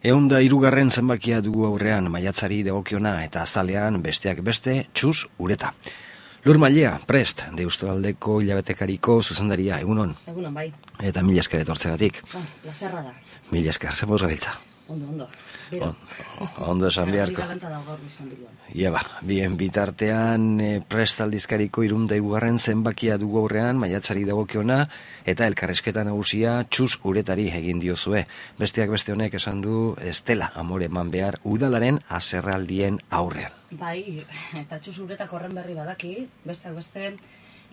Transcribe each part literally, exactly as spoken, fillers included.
Ehunda hirugarren zenbakia dugu aurrean maiatzari dagokiona eta azalean besteak beste txus ureta. Lur Mailea, prest, Deustaldeko hilabetekariko zuzendaria, egunon. Egunon, bai. Eta mila esker etortzegatik. Ba, plazerra da. Mila esker, zemoz gabiltza. Ondo, ondo. Bero. Ondo esan beharko. Bigalanta da gaur izan biluan. Ia ba, bien bitartean e, prest aldizkariko irunda hirugarren zenbakia dugu aurrean maiatzari dagokiona eta elkarrezketa nagusia txus uretari egin diozue. Besteak beste honek esan du estela amore eman behar udalaren haserraldien aurrean. Bai, eta txus uretak horren berri badaki, besteak beste,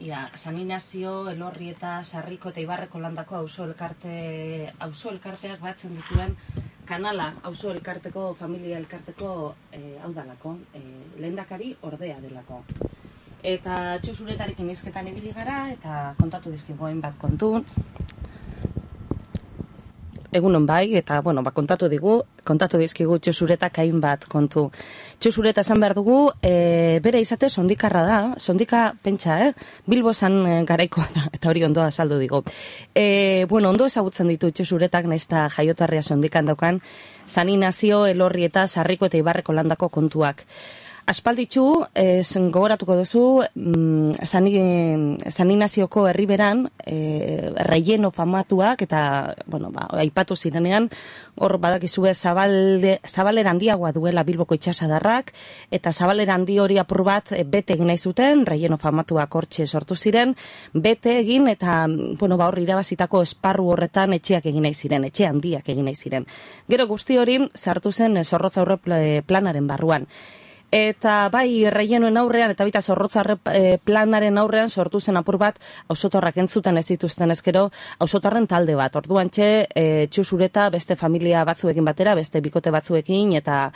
ia, San Inazio, Elorri eta Sarriko eta Ibarreko landako auzo elkarte, auzo elkarteak batzen dituen kanala, auzo elkarteko, familia elkarteko eh, hau dalako, eh, lehendakari ordea delako. Eta txus uretarekin hizketan ibili gara eta kontatu dizkigu hainbat kontu. Egunon bai, eta bueno, ba, kontatu digu, kontatu dizkigu txusuretak hainbat kontu. Txusureta esan behar dugu, e, bere izate sondikarra da, sondika pentsa, eh? Bilbo zan e, garaikoa da, eta hori ondoa saldu digu. E, bueno, ondo ezagutzen ditu txusuretak, naizta jaiotarria sondikan daukan, San Inazio, Elorri eta Sarriko eta Ibarreko landako kontuak. Aspalditxu, ez gogoratuko duzu, mm, San Inazioko herriberan, e, relleno famatuak, eta, bueno, ba, aipatu zirenean, hor badakizue zabalde, zabalera handiagoa duela Bilboko itxasadarrak, eta zabalera handi hori apur bat e, bete egin nahi zuten, relleno famatuak hortxe sortu ziren, bete egin, eta, bueno, ba, hor irabazitako esparru horretan etxeak egin nahi ziren, etxe handiak egin nahi ziren. Gero guzti hori sartu zen Zorrotza Aurre planaren barruan. Eta bai, rellenoen aurrean, eta baita Zorrotzarre planaren aurrean sortu zen apur bat, auzotarrak entzuten ez dituzten ezkero, auzotarren talde bat. Orduan txe, e, txusureta beste familia batzuekin batera, beste bikote batzuekin, eta,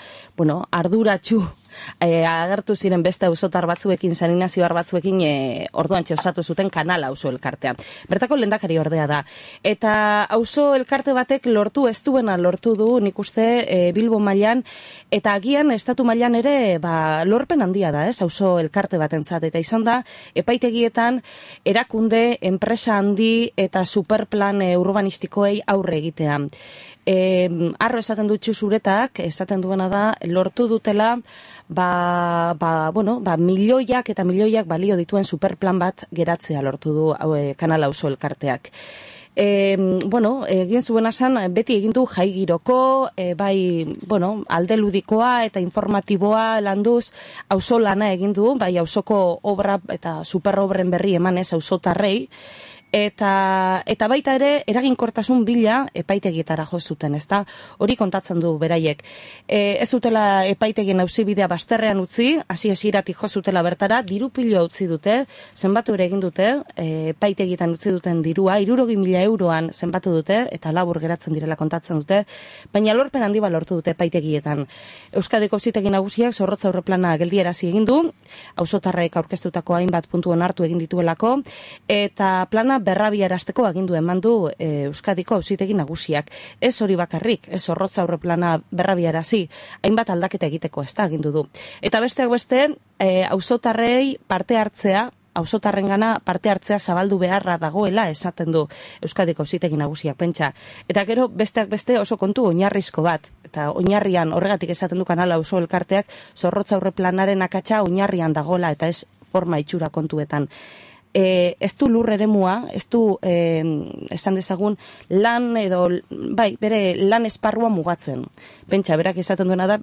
bueno, arduratxu e, agertu ziren beste auzotar batzuekin, San Inazioar batzuekin, e, orduan txe osatu zuten kanala auzo elkartean. Bertako lehendakari ordea da. Eta auzo elkarte batek lortu ez duena lortu du, nik uste, e, Bilbo mailan, eta agian estatu mailan ere, ba, lorpen handia da, ez, auzo elkarte batentzat, eta izan da, epaitegietan erakunde, enpresa handi eta superplan e, urbanistikoei aurre egitea. E, arro esaten dut txusuretak, esaten duena da, lortu dutela, ba, ba, bueno, ba, milioiak eta milioiak balio dituen superplan bat geratzea lortu du e, kanala auzo elkarteak. E, bueno, egin zuen asan, beti egin du jai giroko, e, bai, bueno, alde ludikoa eta informatiboa landuz, auzo lana egin du, bai, auzoko obra eta superobren berri emanez auzotarrei, Eta, eta baita ere eraginkortasun bila epaitegietara jo zuten, ezta? Hori kontatzen du beraiek. E, ez zutela epaitegien auzibidea bazterrean utzi, hasi hasieratik jo zutela bertara, diru pilo utzi dute, zenbatu ere egin dute, e, epaitegietan utzi duten dirua, hirurogei mila euroan zenbatu dute, eta labur geratzen direla kontatzen dute, baina lorpen handi bat lortu dute epaitegietan. Euskadiko auzitegi nagusiak Zorrotza Aurre plana geldiarazi egin du, auzotarrek aurkeztutako hainbat puntuen hartu egin dituelako, eta plana berrabiarazteko agindu eman du e, Euskadiko auzitegi nagusiak. Ez hori bakarrik, ez Zorrotza Aurre plana berrabiarazi, hainbat aldaketa egiteko ez da agindu du. Eta besteak beste, e, auzotarrei parte hartzea, auzotarrengana parte hartzea zabaldu beharra dagoela esaten du Euskadiko auzitegi nagusiak pentsa. Eta gero besteak beste oso kontu oinarrizko bat. Eta oinarrian horregatik esaten du kanala auzo elkarteak Zorrotza Aurre planaren akatsa oinarrian dagola eta ez forma itxura kontuetan. E, ez du lur eremua, ez du e, esan dezagun lan edo, bai, bere lan esparrua mugatzen. Pentsa, berak esaten duena da,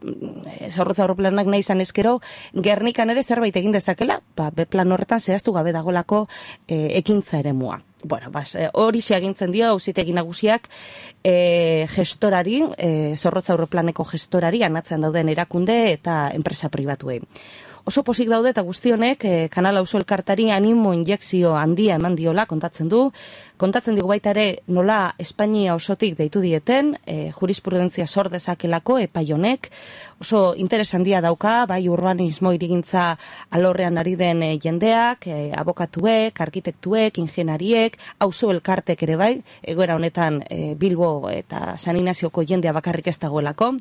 Zorrotza Aurre planak nahi izan ezkero, Gernikan ere zerbait egin dezakela, ba, be plan horretan zehaztu gabe dagolako e, ekintza eremua. Bueno, bas, hori xe agintzen dio auzitegi nagusiak e, gestorari, e, Zorrotza Aurre planeko gestorari, anatzean dauden erakunde eta enpresa pribatuei. Oso pozik daude eta guztionek eh, kanala auzo elkartari animo injekzio handia eman diola kontatzen du. Kontatzen digu baita ere nola Espainia osotik deitu dieten, eh, jurisprudentzia sor dezakelako epai honek. Oso interes handia dauka, bai urbanismo hirigintza alorrean ari den eh, jendeak, eh, abokatuek, arkitektuek, ingeniariek, auzo elkartek ere bai, egoera honetan eh, Bilbo eta San Inazioko jendea bakarrik ez dagoelako.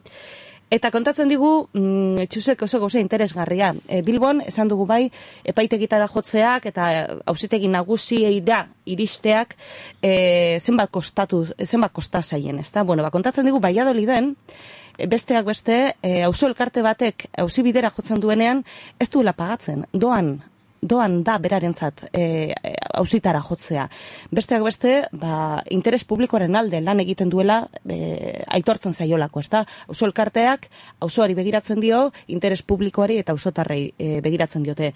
Eta kontatzen digu, mm, txusek oso gauza interesgarria. E, Bilbon, esan dugu bai, epaitegitara jotzeak eta auzitegi nagusieira iristeak e, zenbat kostatu, zenbat kosta zaien, ezta? Bueno, ba, kontatzen digu Valladoliden, besteak beste, auzo elkarte batek auzi bidera jotzen duenean, ez duela pagatzen, doan, doan da berarentzat e, auzitara jotzea. Besteak beste, ba, interes publikoaren alde lan egiten duela e, aitortzen zaiolako, ezta? Auzo elkarteak auzoari begiratzen dio, interes publikoari eta auzotarrei e, begiratzen diote.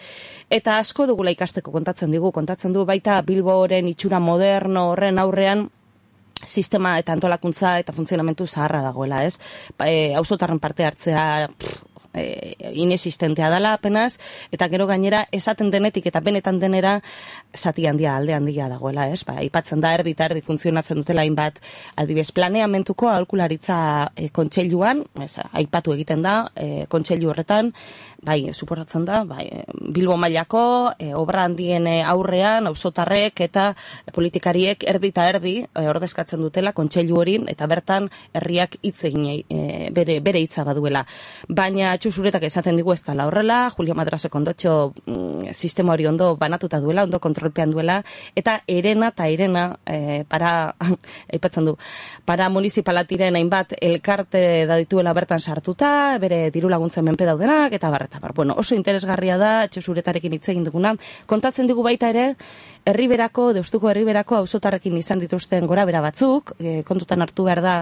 Eta asko dugula ikasteko kontatzen digu, kontatzen du baita Bilboren itxura moderno horren aurrean sistema eta antolakuntza eta funtzionamentu zaharra dagoela, ez? E, auzotarren parte hartzea pff, E, inexistentea dela apenas, eta gero gainera esaten denetik eta benetan denera zati handia, alde handia dagoela, ez? Ba, aipatzen da erdi eta erdi funtzionatzen dutela hainbat adibidez planeamentuko aholkularitza e, kontseiluan, ez, aipatu egiten da, e, kontseilu horretan, bai, suposatzen da, bai, Bilbo mailako e, obra handien aurrean auzotarrek eta politikariek erdi eta erdi e, ordezkatzen dutela kontseilu hori, eta bertan herriak hitz egin e, bere, bere hitza baduela. Baina Txusuretak esaten digu ez dela horrela, Julio Madrasek ondotxo mm, sistema hori ondo banatuta duela, ondo kontrolpean duela, eta erena eta erena e, para, aipatzen du, para municipalatiren hainbat elkarte da dituela bertan sartuta, bere diru laguntzen menpe daudenak, eta bar, eta bar. Bueno, oso interesgarria da Txusuretarekin hitz egin duguna. Kontatzen digu baita ere, Herriberako, Deustuko Herriberako auzotarrekin izan dituzten gorabera batzuk, e, kontutan hartu behar da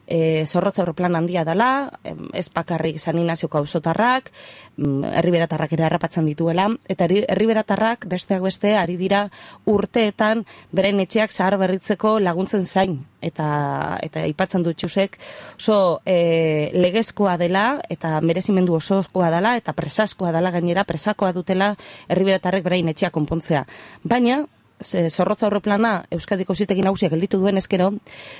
e, zorrotza plan handia dela, ez bakarrik San Ignazioko auzotarrak, herriberatarrak ere harrapatzen dituela, eta herriberatarrak besteak beste ari dira urteetan beren etxeak zahar berritzeko laguntzen zain, eta eta aipatzen dut Txusek, oso e, legezkoa dela, eta merezimendu osokoa dela, eta presaskoa dela gainera, presakoa dutela herriberatarrek berain etxeak konpontzea. Baina, zorrotza horreplana Euskadiko Auzitegi Nagusiak gelditu duen ezkero,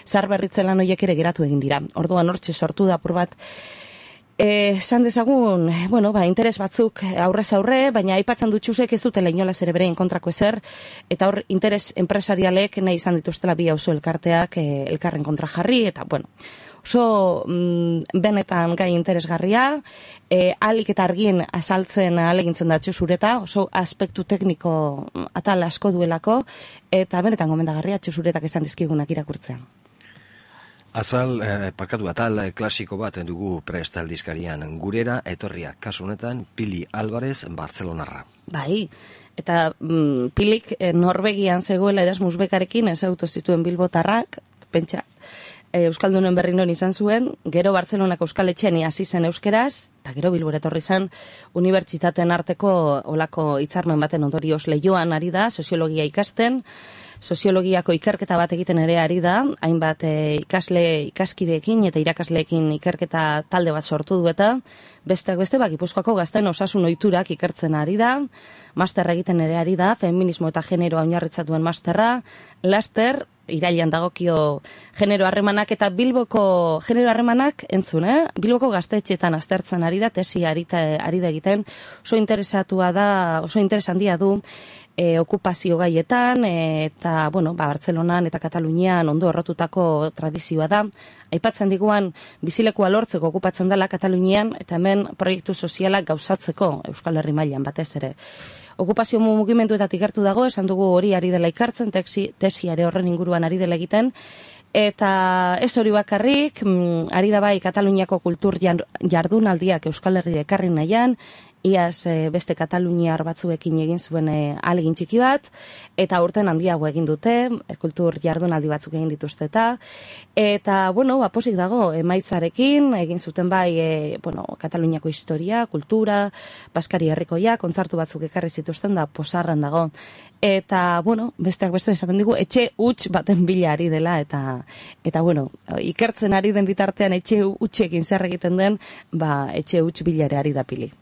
zahar berritze lan horiek ere geratu egin dira. Orduan hortxe sortu da apur bat, esan dezagun, bueno, ba, interes batzuk aurrez aurre, baina aipatzen dut Txusek ez dutela inolaz ere bere kontrako ezer, eta hor interes enpresarialek nahi izan dituztela bi auzo elkarteak e, elkarren kontra jarri, eta bueno, oso mm, benetan gai interesgarria, e, alik eta argien azaltzen alegintzen da Txusureta, oso aspektu tekniko atal asko duelako, eta benetan gomendagarria Txusuretak esan dizkigunak irakurtzean. Azal, eh, parkatu atal eh, klasiko bat dugu prest aldizkarian, gurera etorria, kasu honetan Pili Álvarez Bartzelonarra. Bai, eta mm, Pilik eh, Norvegian zegoela Erasmus bekarekin ez auto zituen bilbotarrak, pentsa, eh, Euskaldunen berri non izan zuen, gero Bartzelonako Euskaletxean hasi zen euskeraz, eta gero Bilbora etorri zen unibertsitateen arteko olako hitzarmen baten ondorioz Leioan ari da, soziologia ikasten, soziologiako ikerketa bat egiten ere ari da, hainbat e, ikasle ikaskideekin eta irakasleekin ikerketa talde bat sortu du eta besteak beste bak Gipuzkoako gazteen osasun ohiturak ikertzen ari da, masterra egiten ere ari da, feminismo eta generoa oinarritzatuen masterra, laster irailean dagokio genero harremanak eta Bilboko genero harremanak entzun, eh? Bilboko gaztetxeetan aztertzen ari da, tesi ari da egiten, oso interesatua da, oso interes handia du, E, okupazio gaietan, e, eta, bueno, ba, Bartzelonan eta Katalunian ondo errotutako tradizioa da. Aipatzen diguan, bizilekua lortzeko okupatzen dela Katalunian, eta hemen proiektu sozialak gauzatzeko Euskal Herri mailan batez ere. Okupazio mugimenduetatik gertu dago, esan dugu hori ari dela ikartzen, tesi, tesiare horren inguruan ari dela egiten, eta ez hori bakarrik, mm, ari da bai Kataluniako kultur jardunaldiak Euskal Herri ekarri nahian, iaz e, beste kataluniar batzuekin egin zuen e, ahalegin txiki bat, eta urten handiago egin dute, e, kultur jardunaldi batzuk egin dituzte eta, eta, bueno, aposik dago, emaitzarekin, egin zuten bai, e, bueno, Kataluniako historia, kultura, Baskari herrikoia, kontzartu batzuk ekarri zituzten da, posarran dago. Eta, bueno, besteak beste esaten digu, etxe huts baten bila ari dela, eta, eta bueno, ikertzen ari den bitartean etxe hutsekin zer egiten den, ba, etxe huts bila ere ari da Pili.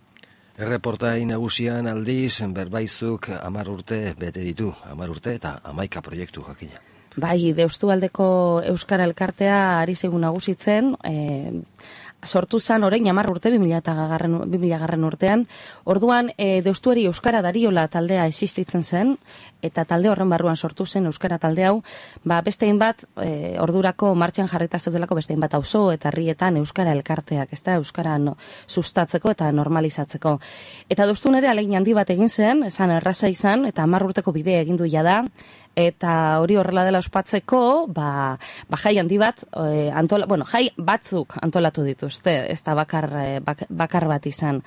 Erreportai nagusian aldiz, berbaizuk hamar urte bete ditu, hamar urte eta hamaika proiektu jakina. Bai, Deustualdeko Euskara Elkartea ari zaigu nagusitzen, e, sortu zan orain hamar urte, bi mila garren urtean, orduan e, Deustuari Euskara Dariola taldea existitzen zen, eta talde horren barruan sortu zen Euskara talde hau, ba, bestein bat, e, ordurako martxan jarrita zeudelako bestein bat auzo eta herrietan Euskara Elkarteak, ez da, Euskara no, sustatzeko eta normalizatzeko. Eta Deustun ere alegin handi bat egin zen, esan erraza izan, eta hamar urteko bidea egin du jada, eta hori horrela dela ospatzeko, ba, ba jai handi bat, e, antola, bueno, jai batzuk antolatu dituzte, ez da bakar, bak, bakar bat izan.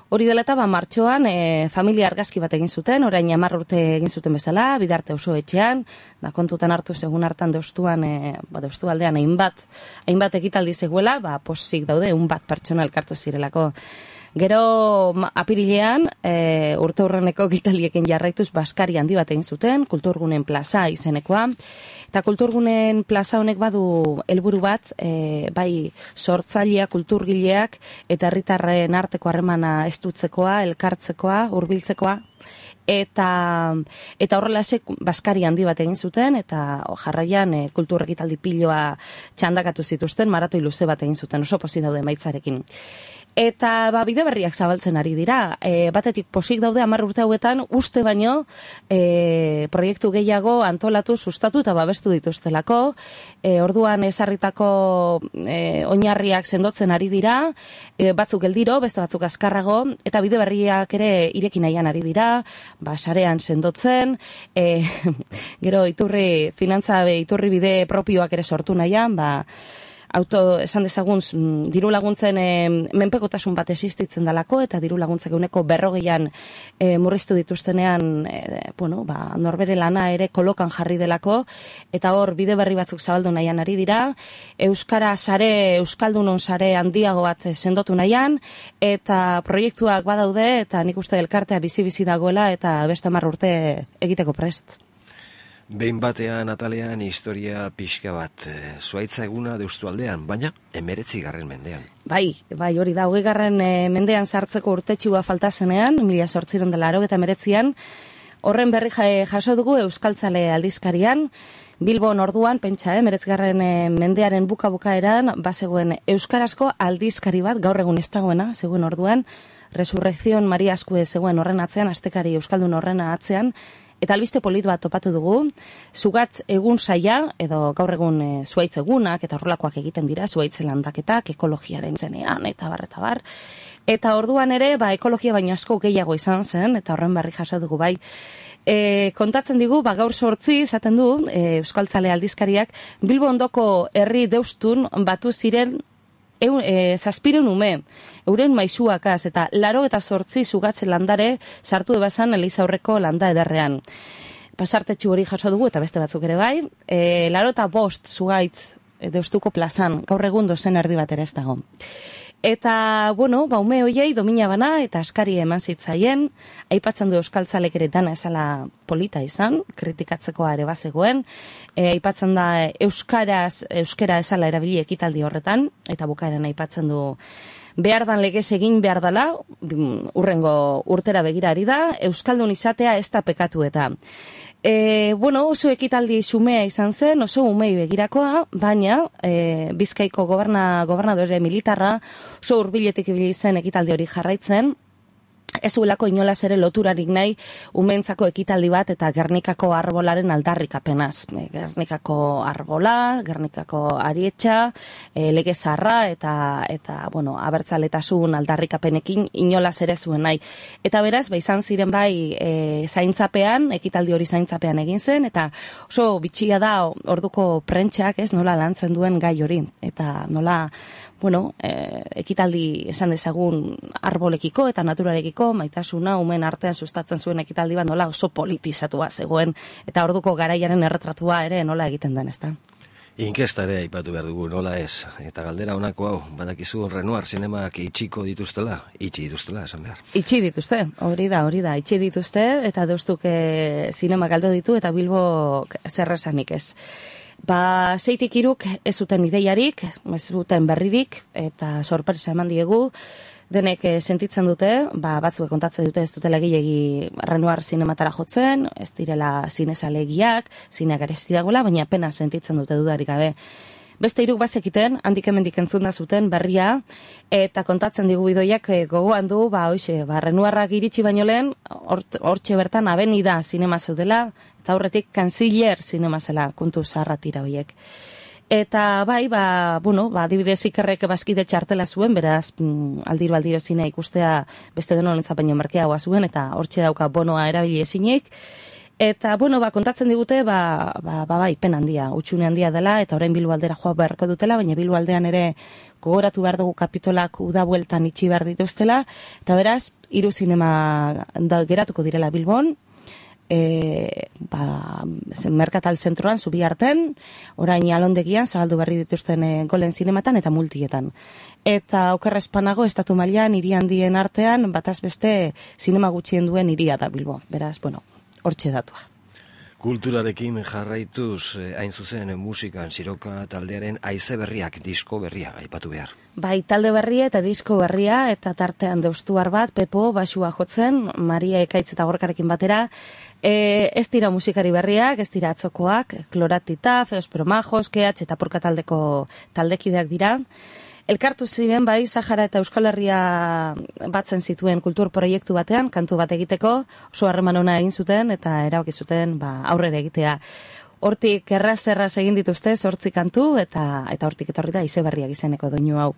Hori dela eta, ba, martxoan, e, familia argazki bat egin zuten, orain hamar urte egin zuten bezala, Bidarte oso etxean, da kontutan hartu segun hartan deustuan, e, ba, deustu aldean hainbat, hainbat ekitaldi zegoela, ba, posik daude, un bat pertsona elkartu zirelako. Gero apirilean, e, urte hurreneko ekitaliekin jarraituz baskari handi bat egin zuten, Kulturgunen plaza izenekoa, eta Kulturgunen plaza honek badu helburu bat, e, bai sortzaileak, kulturgileak, eta herritarren arteko harremana estutzekoa, elkartzekoa, hurbiltzekoa, eta eta horrelaxe baskari handi bat egin zuten, eta jarraian e, kultur ekitaldi piloa txandakatu zituzten, maratoi luze bat egin zuten, oso pozik daude emaitzarekin. Eta ba, bide berriak zabaltzen ari dira. E, batetik posik daude hamar urte hauetan uste baino e, proiektu gehiago antolatu, sustatu eta babestu dituztelako. E, orduan ezarritako e, oinarriak sendotzen ari dira, e, batzuk geldiro, beste batzuk azkarrago, eta bide berriak ere irekin nahian ari dira, ba, sarean sendotzen, e, gero iturri, finantza iturri bide propioak ere sortu nahian, ba, auto, esan dezagun, diru laguntzen e, menpekotasun bat existitzen dalako, eta diru laguntzek eguneko berrogeian e, murriztu dituztenean, e, bueno, ba, norbere lana ere kolokan jarri delako, eta hor bide berri batzuk zabaldu nahian ari dira, Euskara sare, Euskaldunon sare handiago bat sendotu nahian, eta proiektuak badaude, eta nik uste elkartea bizi-bizi dagoela, eta beste hamar urte egiteko prest. Behin batean atalean historia pixka bat, e, zuaitza eguna deustu aldean, baina emeretzi garren mendean. Bai, bai, hori da, hogei garren e, mendean sartzeko urtetxua falta zenean, mila sortziron dela aro eta emeretzian, horren berri jaso dugu Euskaltzale aldizkarian, Bilbon orduan, pentsa, eh, meretzgarren e, mendearen buka-bukaeran, bazegoen euskarazko aldizkari bat, gaur egun ez dagoena, zegoen orduan, Resurrección Maria Askue zegoen horren atzean, astekari euskaldun horren atzean, eta albiste polit bat topatu dugu, zugatz egun saia, edo gaur egun e, zuaitz egunak, eta horrelakoak egiten dira, zuaitz landaketak, ekologiaren zenean, eta bar, eta bar. Eta orduan ere, ba, ekologia baino asko gehiago izan zen, eta horren berri jaso dugu bai. E, kontatzen digu, ba, gaur sortzi, izaten du, e, Euskaltzale aldizkariak, Bilbo ondoko herri deustun batu ziren Eun, e, zazpireun ume, euren maisuakaz, eta laro eta sortzi zugatze landare sartu ebazan Eliza aurreko landa ederrean. Pasartetxu hori jaso dugu, eta beste batzuk ere bai, e, laro eta bost zugaitz e, deustuko plazan, gaur egun dozen erdi bat ere ez dago. Eta, bueno, ba, ume hoiei domina bana eta askari eman zitzaien, aipatzen du Euskaltzalek ere dana esala polita izan, kritikatzekoa ere bazegoen, e, aipatzen da euskaraz, euskera esala erabili ekitaldi horretan, eta bukaeran aipatzen du behar dan legez egin behar dala, urrengo urtera begira ari da, euskaldun izatea ez da pekatu eta. E, bueno, oso ekitaldi xumea izan zen, oso umei begirakoa, baina e, Bizkaiko goberna, gobernadore militarra oso hurbiletik ibili zen ekitaldi hori jarraitzen, ez zuelako inolaz ere loturarik nahi umentzako ekitaldi bat eta Gernikako arbolaren aldarrikapenaz. Gernikako arbola, Gernikako arietxa, e, lege zarra eta, eta bueno, abertzaletasun aldarrikapenekin inolaz ere zuen nahi. Eta beraz, ba, izan ziren bai e, zaintzapean, ekitaldi hori zaintzapean egin zen, eta oso bitxia da orduko prentxak ez nola lantzen duen gai hori. Eta nola, bueno, e, ekitaldi esan dezagun arbolekiko eta naturarekiko, maitasuna, umen artean sustatzen zuen ekitaldi bat nola oso politizatua zegoen, eta orduko garaiaren erretratua ere nola egiten den, ezta? Inkesta ere aipatu behar dugu, nola ez, eta galdera honako hau, badakizu Renoir zinemak itxiko dituztela, itxi dituztela, esan behar. Itxi dituzte, hori da, hori da, itxi dituzte, eta deustuk e, zinemak galdu ditu, eta Bilbo zerresanik ez. Ba, zeitik iruk ez zuten ideiarik, ez zuten berririk, eta sorpresa eman diegu, denek e, sentitzen dute, ba, batzuek kontatzen dute ez dutela gehiagi Renoir zinematara jotzen, ez direla zinezalegiak, zineak aresti dagoela, baina pena sentitzen dute dudarik gabe. Beste hiruk bazekiten, handik hemendik entzun da zuten berria, eta kontatzen digu bidoiak e, gogoan du, ba, hoxe, ba, Renoirrak iritsi baino lehen, hortxe bertan Avenida zinema zeudela, eta horretik Kanziller zinema zela, kontu zaharra tira horiek. Eta bai, ba, bueno, ba, adibidez Ikerrek bazkide txartela zuen, beraz, mm, aldiro aldiro zina ikustea beste denon entzapeino merkeagoa zuen, eta hortxe dauka bonoa erabili ezinik. Eta, bueno, ba, kontatzen digute, ba, ba, ba, ba ipen handia, utxune handia dela, eta orain Bilbo aldera joa beharko dutela, baina Bilbo aldean ere gogoratu behar dugu kapitolak uda bueltan itxi behar dituztela, eta beraz, hiru zinema da, geratuko direla Bilbon, e, ba, merkatal zentroan, zubi arten, orain alondegian, zabaldu berri dituzten e, golen zinematan eta multietan. Eta okerra espanago, estatu mailan hiri handien artean, bataz beste zinema gutxien duen hiria da Bilbo. Beraz, bueno, hortxe datua. Kulturarekin jarraituz, hain zuzen musikan Siroka taldearen haize berriak, disko berria, aipatu behar. Bai, talde berria eta disko berria, eta tartean deustuar bat, Pepo, basua jotzen, Maria Ekaitz eta Gorkarekin batera. E, ez dira musikari berriak, ez dira atzokoak, Kloratita, Feos Promajos, Keatx eta Porka taldeko taldekideak dira. Elkartu ziren bai Sahara eta Euskal Herria batzen zituen kultur proiektu batean, kantu bat egiteko, oso harreman ona egin zuten eta erabaki zuten ba, aurrera egitea. Hortik erraz-erraz egin dituzte, zortzi kantu, eta eta hortik etorri da ize berriak izeneko doinu hau.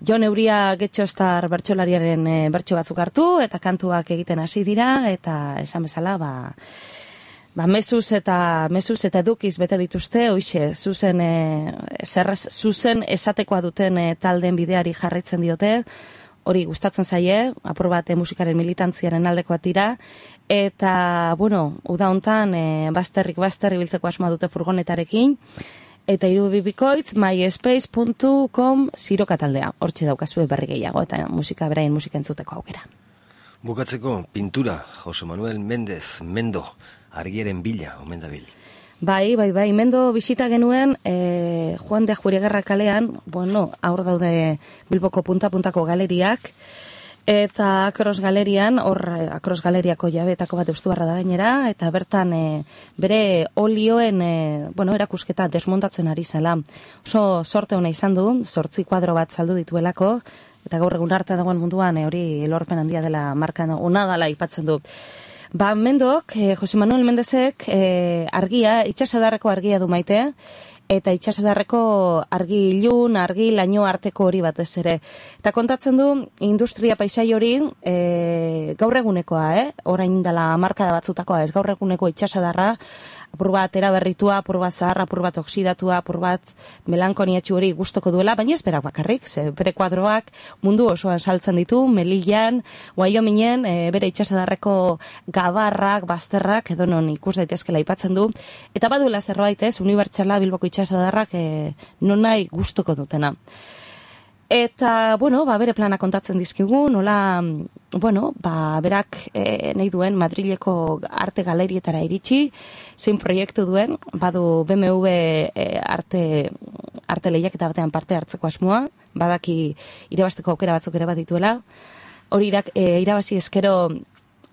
Jon Euria Getxostar bertsolariaren e, bertso batzuk hartu, eta kantuak egiten hasi dira, eta esan bezala, ba... Ba, mezuz eta mezuz eta edukiz bete dituzte, hoixe, zuzen, e, zerrez, zuzen esatekoa duten e, taldeen bideari jarraitzen diote, hori gustatzen zaie, apur bat e, musikaren militantziaren aldekoak dira, eta, bueno, uda hontan, e, bazterrik bazterri biltzeko asmoa dute furgonetarekin, eta irubibikoitz, myspace puntu com Siroka taldea, hortxe daukazue berri gehiago, eta musika berain musika entzuteko aukera. Bukatzeko, pintura, Jose Manuel Mendez, Mendo, argiaren bila, omen dabil. Bai, bai, bai, Mendo bisita genuen e, Juan de Ajuriagerra kalean, bueno, aur daude Bilboko punta-puntako galeriak, eta Akros galerian, hor Akros galeriako jabetako bat eustubarra da gainera, eta bertan e, bere olioen e, bueno, erakusketa desmontatzen ari zela. Oso sorte hona izan du, zortzi kuadro bat saldu dituelako, eta gaur egun arte dagoen munduan e, hori lorpen handia dela markan ona dela aipatzen du. Ba, Mendok, eh, Jose Manuel Mendezek eh, argia, itxasadarreko argia du maite, eta itxasadarreko argi ilun, argi laino arteko hori batez ere. Eta kontatzen du, industria paisai hori eh, gaur egunekoa, eh? Orain dela markada batzutakoa, ez gaur eguneko itxasadarra, apur bat eraberritua, apur bat zaharra, apur bat oksidatua, apur bat melankoniatxu hori gustoko duela, baina ez berak bakarrik, ze bere kuadroak mundu osoan saltzen ditu, Melillan, Wyomingen, e, bere itxasadarreko gabarrak, bazterrak, edo non ikus daitezkela aipatzen du, eta baduela zerbait ez, unibertsala Bilboko itxasadarrak e, non nahi gustoko dutena. Eta, bueno, ba, bere plana kontatzen dizkigu, nola, bueno, ba, berak e, nahi duen Madrileko arte galerietara iritsi, zein proiektu duen, badu B M W e, arte, arte lehiaketa batean parte hartzeko asmoa, badaki irabazteko aukera batzuk ere badituela, hori irak, e, irabazi ezkero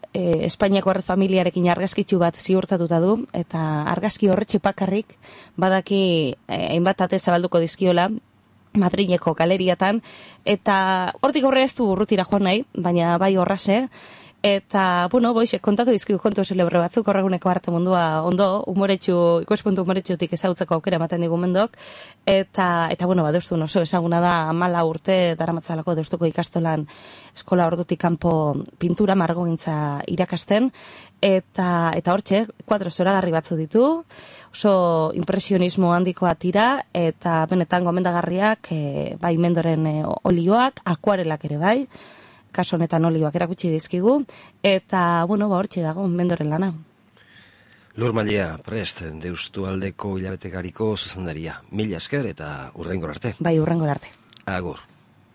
e, Espainiako arrez familiarekin argazkitxu bat ziurtatuta du, eta argazki horretxe bakarrik badaki e, hainbat ate zabalduko dizkiola, Madrileko galeriatan, eta hortik aurre ez du urrutira joan nahi, baina bai horrase, eta, bueno, boixe, kontatu dizkigu kontu celebre batzuk, horreguneko arte mundua ondo, umoretxu, ikuspuntu umoretxutik ezautzeko aukera ematen digu Mendok, eta, eta bueno, ba, deustun oso ezaguna da amala urte daramatzalako deustuko ikastolan eskola ordutik kanpo pintura margogintza irakasten, eta, eta hortxe, kuadro zoragarri batzu ditu, oso impresionismo handikoa tira, eta benetan gomendagarriak, e, bai Mendoren e, olioak, akuarelak ere bai, kaso honetan olioak erakutsi dizkigu, eta, bueno, ba, hortxe dago Mendoren lana. Lur Malia, prest, deustu aldeko hilabetekariko zuzendaria. Mila esker eta urrengor arte. Bai, urrengor arte. Agur.